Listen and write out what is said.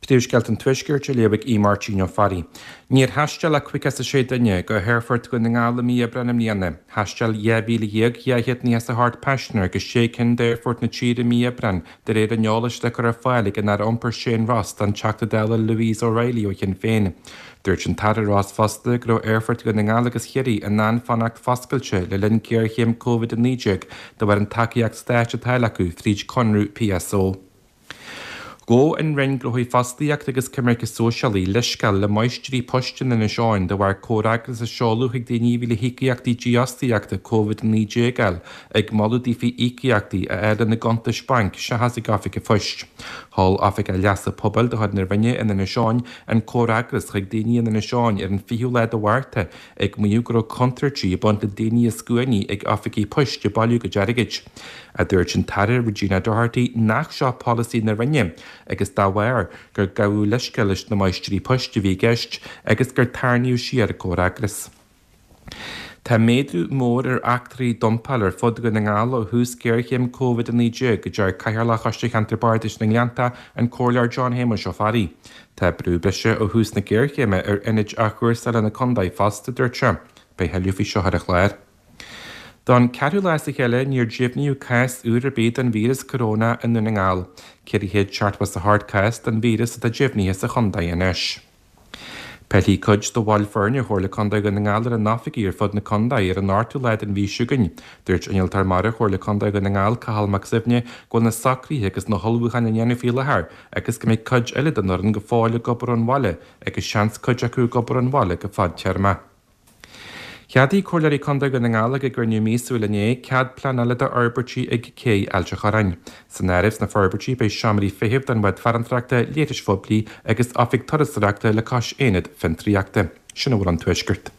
Príomhscéalta an Tuaiscirt á léamh ag Aodh Máirtín Ó Fearraigh. Níor thaisteal ach 56 duine go hAerfort Dhún na nGall i mí Aibreáin i mbliana. Thaisteal 12,298 paisinéir go sé cinn d'aerfoirt na tíre i mí Aibreáin, de réir an eolais le cur ar fáil ag an Aire Iompair Shane Ross don Teachta Dála Louise O'Reilly ó Shinn Féin. Dúirt an tAire Ross fosta go raibh aerfoirt Dhún na nGall agus Chiarraí in ann fanacht foscailte le linn géarchéim Covid-19 de bharr an tacaíocht stáit atá acu fríd conradh PSO. Ghabh an Roinn Gnóthaí Fostaíochta agus Coimirce Sóisialaí leithscéal le máistrí poist in Inis Eoghain de bharr comhfhreagras a seoladh chuig daoine a bhí le híocaíochtaí dífhostaíochta Covid-19 a fháil, ag moladh daofa íocaíochtaí a fháil ina gcuntais bainc seachas ag oifig an phoist. Sheol Oifigeach Leasa Pobail de chuid na Roinne in Inis Eoghain an comhfhreagras chuig daoine in Inis Eoghain ar an 20ú lá de Mhárta ag maíomh go raibh contúirtí ag baint le daoine a scuainí ag oifigí poist ag bailiú a gcuid airgid. A dúirt an tAire Regina Doherty nach seo polasaí na Roinne agus dá bharr gur gabhadh leithscéal leis na máistrí poist a bhí i gceist agus gur tarraingíodh siar an comhfhreagras. Tá méadú mór ar eachtraí dumpála ar fud Dhún na nGall ó thús géarchéim Covid-19, a deir Cathaoirleach Choiste Cheantar Bardais na nGleannta, an Comhairleoir John Shéamuis Ó Fearraigh. Tá brú breise ó thús na géarchéime ar ionaid athchúrsála na contae fosta, a dúirt sé. Beidh tuilleadh faoi seo ar an chlár. Don cheathrú lá as a chéile níor deimhníodh cás úr ar bith den víreas coróna i nDún na nGall. 478 cás den víreas atá deimhnithe sa chontae anois. Pillfidh cuid de bhaill foirne Chomhairle Contae Dhún na nGall ar a n-oifigí ar fud na contae ar an ochtú lá den mhí seo chugainn. Dúirt Innealtóir Mara Chomhairle Contae Dhún na nGall, Cathal Mac Suibhne, go bhfuil na socruithe agus na hullmhúcháin á ndéanamh faoi láthair agus go mbeidh cuid eile den fhoireann go fóill ag obair ón bhaile agus seans cuid acu ag obair ón bhaile go fadtéarma. Cheadaigh Comhairleoirí Contae Dhún na nGall ag a gcruinniú míosúil inné cead pleanála d'fhorbairtí ag Cé Ailt an Chorráin. San áireamh sna forbairtí beidh seomraí feithimh don bhád farantóireachta, leithris phoiblí agus oifig turasóireachta le cois aonad fiontraíochta. Sin a bhfuil ón Tuaisceart.